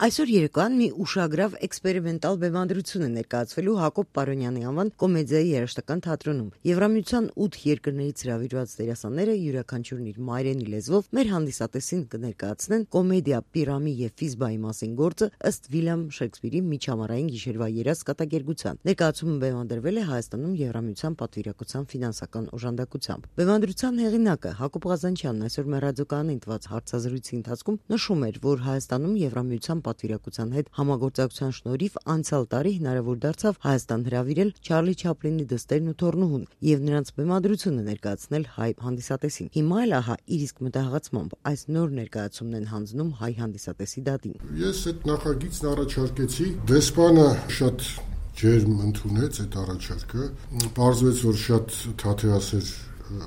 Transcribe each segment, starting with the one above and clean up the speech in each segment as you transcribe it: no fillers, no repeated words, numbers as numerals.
Այսօր երեկոյան մի ուշագրավ էքսպերիմենտալ բեմադրություն է ներկայացվելու Հակոբ Պարոնյանի անվան կոմեդիայի երաժշտական թատրոնում։ Եվրամիության 8 երկրներից հրավիրված դերասանները յուրաքանչյուրն իր մայրենի լեզվով մեր հանդիսատեսին կներկայացնեն կոմեդիա Պիրամի եւ Ֆիզբայի մասին գործը ըստ Վիլյամ Շեքսպիրի միջամարային գիշերվա երազ կատակերգության։ Ներկայացումը բեմադրվել է Հայաստանում Եվրամիության պատվիրակության ֆինանսական օժանդակությամբ։ Բեմադրության հեղինակը Հակոբ Ղազանչյանն այսօր մեր ռադիոկայանին տված հարցազրույցի ընթացքում նշում էր, որ Հայաստանում Եվրամիության պատվիրակության հետ համագործակցության շնորհիվ անցյալ տարի հնարավոր դարձավ Հայաստան հրավիրել Չարլի Չապլինի դստերն ու թոռնուհուն եւ նրանց բեմադրությունը ներկայացնել հայ հանդիսատեսին։ Հիմա էլ ահա իր իսկ մտահղացմամբ այս նոր ներկայացումն են հանձնում հայ հանդիսատեսի դատին։ Ես այդ նախագիծն առաջարկեցի, դեսպանը շատ ջերմ ընդունեց այդ առաջարկը, պարզվեց, որ շատ թաթեասեր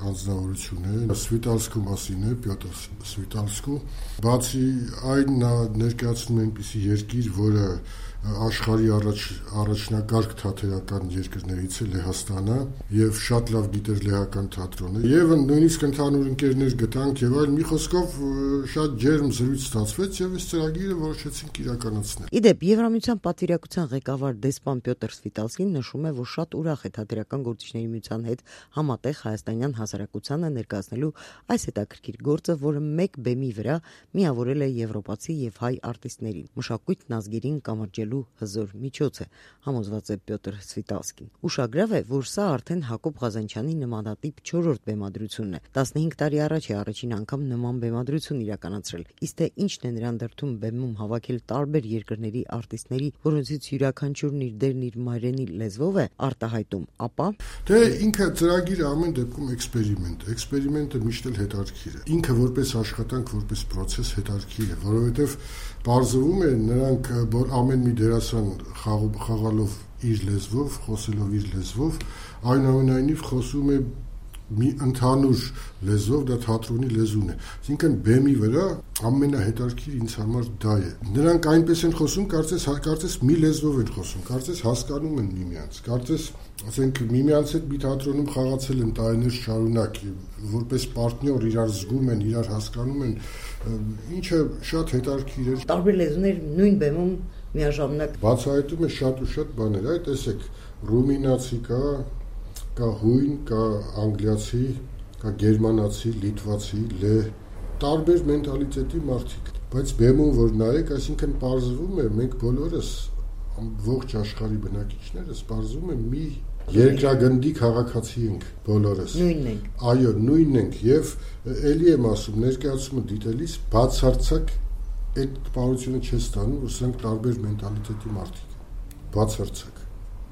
անձնավորություն է, Սվիտալսկու մասին է, Պյոտր Սվիտալսկու, բացի այն նա ներկայացնում է այնպիսի երկիր, որը աշխարհի առաջնակարգ թատերական երկրներից է Լեհաստանը եւ շատ լավ գիտեր լեհական թատրոնը եւ նույնիսկ ընդհանուր ընկերներ գտանք եւ այլ, մի խոսքով շատ ջերմ զրույց ստացվեց եւ այս ծրագիրը որոշեցինք իրականացնել։ Իդեպ Եվրամիության պատվիրակության ղեկավար դեսպան Պյոտր Սվիտալսկին նշում է, որ շատ ուրախ է թատերական գործիչների միության հետ համատեղ հայաստանյան հասարակությանը ներկայացնելու այս հետաքրքիր գործը, որը մեկ բեմի վրա միավորել է եվրոպացի եւ հայ արտիստներին։ Մշակույթն ազգերին կամրջելու հզոր միջոց է, համոզված է Պյոտր Սվիտալսկին։ Ուշագրավ է, որ սա արդեն Հակոբ Ղազանչյանի նմանատիպ 4-րդ բեմադրությունն է։ 15 տարի առաջ է առաջին անգամ նման բեմադրություն իրականացրել։ Իսկ թե ինչն է նրան դրդում բեմում հավաքել տարբեր երկրների արտիստների, որոնցից յուրաքանչյուրն իր դերն իր մայրենի լեզվով է արտահայտում, ապա դե ինքը ծրագիրը ամեն դեպքում էքսպերիմենտ է։ Էքսպերիմենտը միշտ էլ հետաքրքիր է։ Ինքը որպես աշխատանք, որպես process հետաքրքիր է, որովհետև պարզվում է նրանք ամեն մի դերասան խաղալով իր լեզվով, խոսելով իր լեզվով, այնուամենայնիվ խոսում է մի ընդհանուր լեզվով, դա թատրոնի լեզուն է։ Այսինքն բեմի վրա ամենահետաքրքիր ինձ համար դա է։ Նրանք այնպես են խոսում, կարծես մի լեզվով են խոսում, կարծես հասկանում են միմյանց, կարծես ասենք միմյանց հետ մի թատրոնում խաղացել են տարիներ շարունակ, որպես պարտնյոր իրար զգում են, իրար հասկանում են, ինչը շատ հետաքրքիր է։ Տարբեր լեզուներ նույն բեմում միաժամանակ բացահայտում է շատ ու շատ բաներ, այ տեսեք, ռումինացի կա հույն, կա անգլիացի, կա գերմանացի, լիտվացի, տարբեր մենտալիտետի մարդիկ, բայց բեմում որ նայեք, այսինքն պարզվում է, մենք բոլորս ողջ աշխարհի բնակիչներս պարզվում է մի երկրագնդի քաղաքացի ենք բոլորս։ Նույնն ենք։ Այո, նույնն ենք եւ ելի եմ ասում, ներկայացումը դիտելիս բացարձակ այդ տպավորությունը չես ստանում, որ սրանք տարբեր մենտալիտետի մարդիկ են։ Բացարձակ։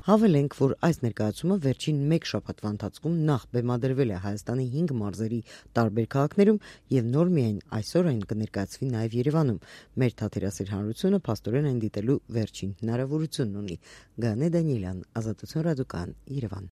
Հավելենք, որ այս ներկայացումը վերջին 1 շաբաթվա ընթացքում նախ բեմադրվել է Հայաստանի 5 մարզերի տարբեր քաղաքներում եւ նոր միայն այսօր այն կներկայացվի նաեւ Երևանում։ Մեր թատերասեր հանրությունը փաստորեն այն դիտելու վերջին հնարավորությունն ունի։ Գանե Դանիելյան, Ազատություն ռադիոկայան, Երևան։